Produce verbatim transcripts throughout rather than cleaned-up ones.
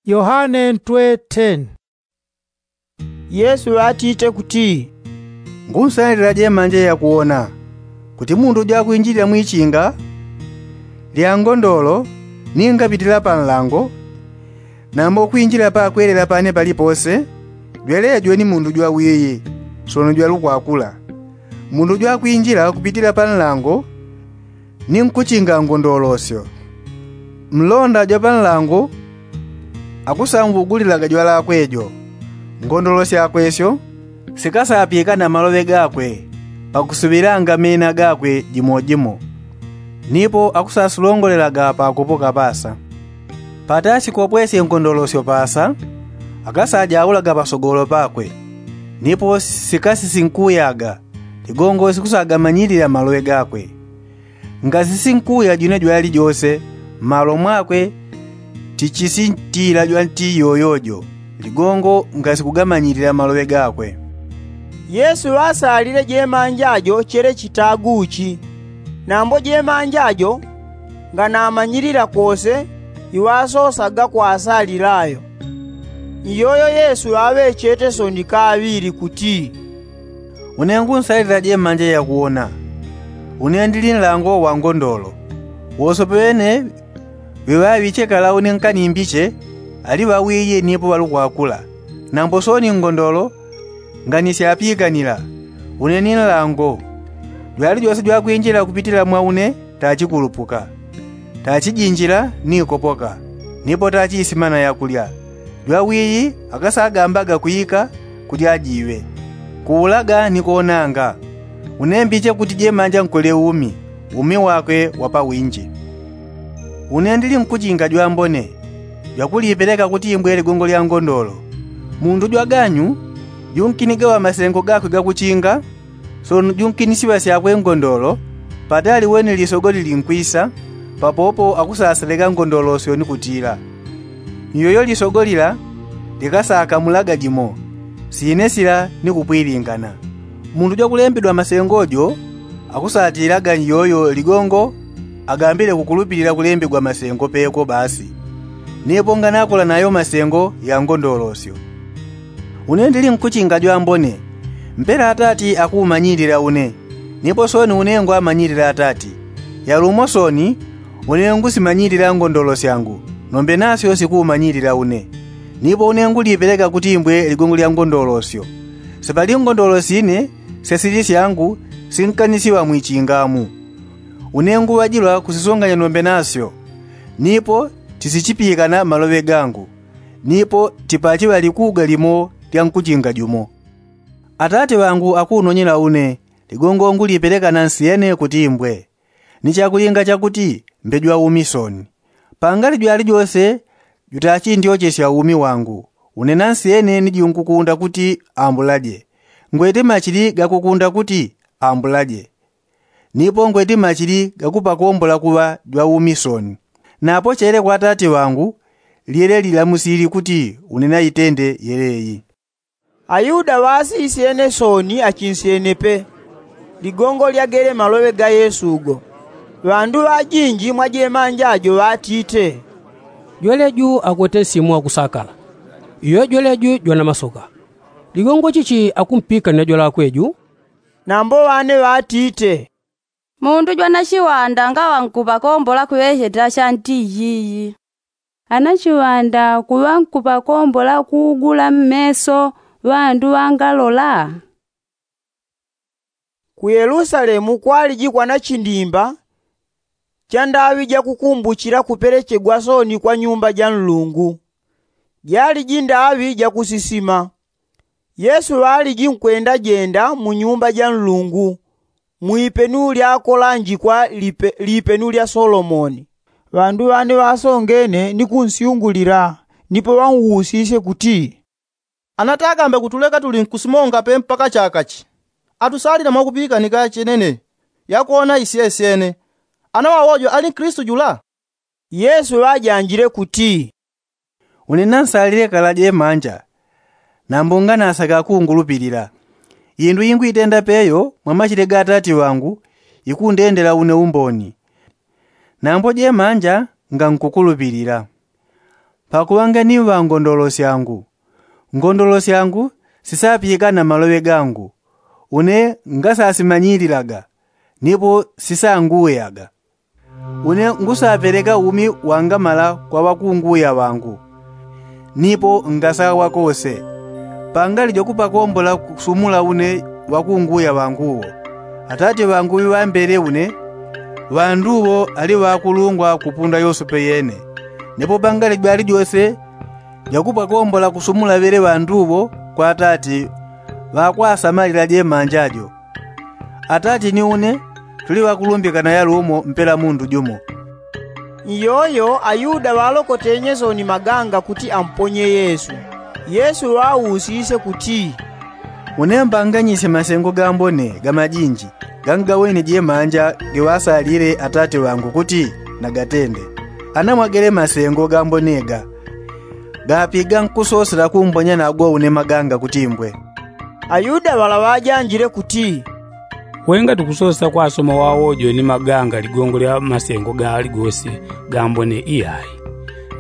Yohane ntwe ten. Yesu ŵatite kuti, ngunsalila jemanja yakuwona, kuti mundu jwakwinjilila mwichinga lya ngondolo, ningapitila pa nlango, nambo kwinjila pakwelela pane palipose, jwelejo ni mundu jwawiyi, sono jwalukwakula. Mundu jwakwinjila kupitila pa nlango, ni nkuchinga ngondolosyo. Mlonda jwa pa nlango akusambugulilaga jwalakwe jo. Ngondolo syakwe syo sikasapikana maloŵe gakwe, pakusuŵilanga mena gakwe jimojimo. Nipo akusasulongolelaga pakupoka pasa. Patasikopwesye ngondolosyo pasa, akasajaulaga pasogolo pakwe, nipo sikasisinkuyaga. Ligongo sikusagamanyilila maloŵe gakwe. Ngasisinkuya jwine jwali jose, mmalo mwakwe tichisintila jwanti yoyojo. Ligongo ngasikugamanyilila maloŵe gakwe. Yesu ŵasalile jemanja jo chele chitaguchi. Nambo jemanja jo nganamanyilila kose iŵasosaga kwasalilayo. Iyoyo yesu ŵaŵechete soni kaŵili kuti, une ngunsalila jemanja yakuwona. Une ndili nlango wa ngondolo. Wose ŵene ŵiŵaŵichekala une nkanimbiche, ali ŵawiyi nipo ŵalukwakula. Nambo soni ngondolo nganisyapyikanila. Une ni nlango. Jwali jose jwakwinjila kupitila mwa une, tachikulupuka, tachijinjila ni kopoka, nipo tachiisimana yakulya. Jwawiyi akasagambaga kwika kulya jiwe, kuulaga ni kuwonanga. Unembiche kuti jemanja nkole umi, umi wakwe wa pawinji. Une ndili nkuchinga jwambone, jwakulipeleka kuti imbwe ligongo lya ngondolo. Mundu jwaganyu junkiniga ŵamasengo gakwe gakuchinga, sono junkinisiŵa syakwe ngondolo, patali weni lisogo lilinkwisa, papopo akusaseleka ngondolosyo ni kutila, iyoyo lisogo lila likasakamulaga jimo, sine sila ni kupwilingana. Mundu jwakulembedwa masengo jo akusatilaga iyoyo ligongo agambile kukulupilila kulembegwa masengo peko basi, nipo nganakola nayo masengo ya ngondolosyo. Une ndili nkuchinga jwambone, mpela atati akumanyilila une, nipo soni une ngwamanyilila atati. Yalumo soni, une ngusimanyilila ngondolo syangu, nombe nasyo sikumanyilila une. Nipo une ngulipeleka kuti imbwe ligongo lya ngondolosyo. Sipali ngondolo sine syasili syangu sinkanisiŵa mwichingamu. Une nguŵajilwa kusisunganya nombe nasyo, nipo tisichipikana maloŵe gangu, nipo tipachiŵa likuga limo lya nkuchinga jumo. Atati ŵangu akunonyela une, ligongo ngulipeleka nansi yene kuti imbwe. Ni chakulinga chakuti mbe jwaumi soni. Pangali jwali jose jutachindyochesya umi wangu, une nansi yene ni junkukunda kuti ambulaje. Ngwete machili gakukunda kuti ambulaje. Nipo ngwete machili gakupakombola kuŵa jwaumi soni. Napochele kwa atati ŵangu, lyele lilamusili kuti une naitende yeleyi. Ayuda ŵasisyene soni achinsyene pe ligongo lyagele maloŵe ga yesu go. Ŵandu ŵajinji mwa jemanja jo ŵatite, jweleju akwete nsimu wakusakala, iyo jweleju jwana masoka. Ligongo chichi akumpikanila jwalakwe ju? Nambo ŵane ŵatite, mundu jwana chiŵanda ngaŵa nkuŵakombola kuŵecheta chanti iyiyi. Ana chiŵanda kuŵa nkuŵakombola kuugula mmeso ŵandu ŵangalola? Ku yelusalemu kwaliji kwana chindimba cha ndaŵi jakukumbuchila kupelechegwa soni kwa nyumba ja nlungu. Jaliji ndaŵi jakusisima. Yesu ŵaliji nkwendajenda mu nyumba ja nlungu, mwipenu lyakolanjikwa lipenu lya solomoni. Ŵandu ŵane ŵasongene ni kunsyungulila, nipo ŵanwusisye kuti, ana takambe kutuleka tuli nkusimonga pe mpaka chakachi? Atusalila mwakupikanika chenene yakuwona isyesyene. Ana wawojo ali nklistu jula? Yesu ŵajanjile kuti, une nansalile kala jemanja, nambo nganasaka kungulupilila. Indu ingwitenda peyo mwa machile ga atati ŵangu, ikundendela une umboni. Nambo jemanja ngankukulupilila. pakuŵanga ni ŵangondolo syangu. Ngondolo syangu sisapikana maloŵe gangu, une ngasasimanyililaga, nipo sisanguwiaga. Une ngusapeleka umi wangamala kwa ŵakunguwiya ŵangu, nipo ngasaŵa kose. Pangali jwakupakombola kusumula une ŵakunguwiya ŵanguwo. Atate ŵangu ŵiŵambele une, ŵanduwo ali ŵakulungwa kupunda yosepe yene. Nipo pangali jwali jose jwakupakombola kusumula ŵele ŵanduwo kwa atate ŵakwasamalila jemanja jo. Atate ni une tuli ŵakulumbikana yalumo mpela mundu jumo. Iyoyo ayuda ŵalokotenye soni maganga kuti amponye yesu. Yesu ŵausisye kuti, une mbanganyisye masengo gambone gamajinji gangaweni jemanja giŵasalile atate ŵangu kuti nagatende. Ana mwagele masengo gambone ga gapiga nkusosela kumbonya nago une maganga kuti mbwe? Ayuda ŵala ŵajanjile kuti, wenga tukusosa kwasoma wawojo ni maganga ligongo lya masengo gali gose gambone iyai,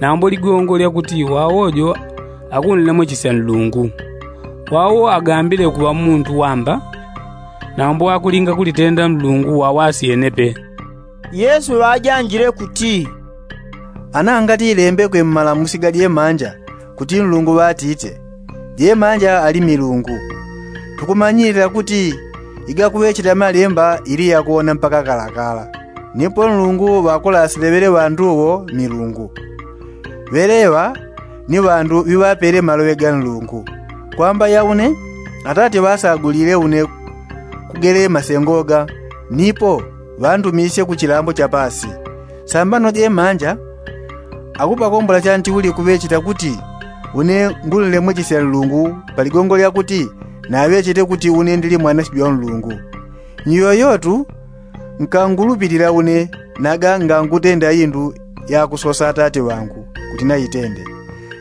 nambo ligongo lyakuti wawojo akunlemwechisya nlungu. Wawo agambile kuŵa muntu wamba, nambo akulinga kulitenda nlungu wawasyene pe. Yesu ŵajanjile kuti, ana ngati ilembekwe mmalamusi ga jemanja kuti nlungu ŵatite, jemanja ali milungu. Tukumanyilila kuti igakuŵecheta malemba ili yakuwona mpaka kalakala. Nipo nlungu ŵakulasile ŵele ŵanduwo milungu. Ŵeleŵa ni ŵandu ŵiŵapele maloŵe ga nlungu. Kwamba yaune atate ŵasagulile une kugele masengo ga, nipo ŵandumisye kuchilambo chapasi. Sambano jemanja akupakombola chantiuli kuŵecheta kuti une ngullemwechisya nlungu paligongo lyakuti naŵechete kuti une ndili mwanasyo jwa nlungu. Nyoyotu nkangulupilila une naga ngangutenda indu yakusosa atate ŵangu kuti naitende.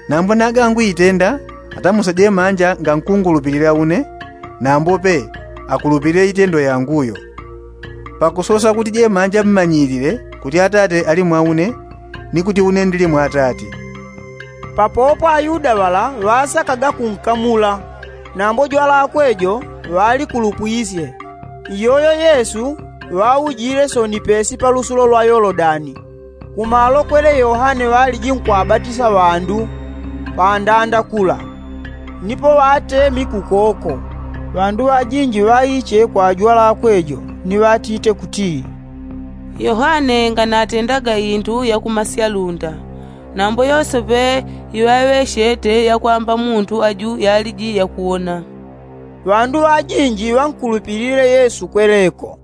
Nambo naga nguitenda atamusa jemanja ngankungulupilila une, nambo pe akulupilile itendo yanguyo. Pakusosa kuti jemanja mmanyilile kuti atate ali mwa une, ni kuti une ndili mwa atate. Papopo ayuda ŵala ŵasakaga kunkamula, nambo jwalakwe jo ŵalikulupwisye. Iyoyo yesu ŵaujile soni pesi palusulo lwa yolodani, kumalokwele yohane ŵaliji nkwabatisa ŵandu pandanda kula. Nipo ŵatemi kukoko. Ŵandu ŵajinji ŵaiche kwa jwalakwe jo ni ŵatite kuti, yohane nganatendaga indu yakumasya lunda, nambo yosepe iŵaŵechete yakwamba mundu aju yaliji yakuwona. Ŵandu ŵajinji ŵankulupilile yesu kweleko.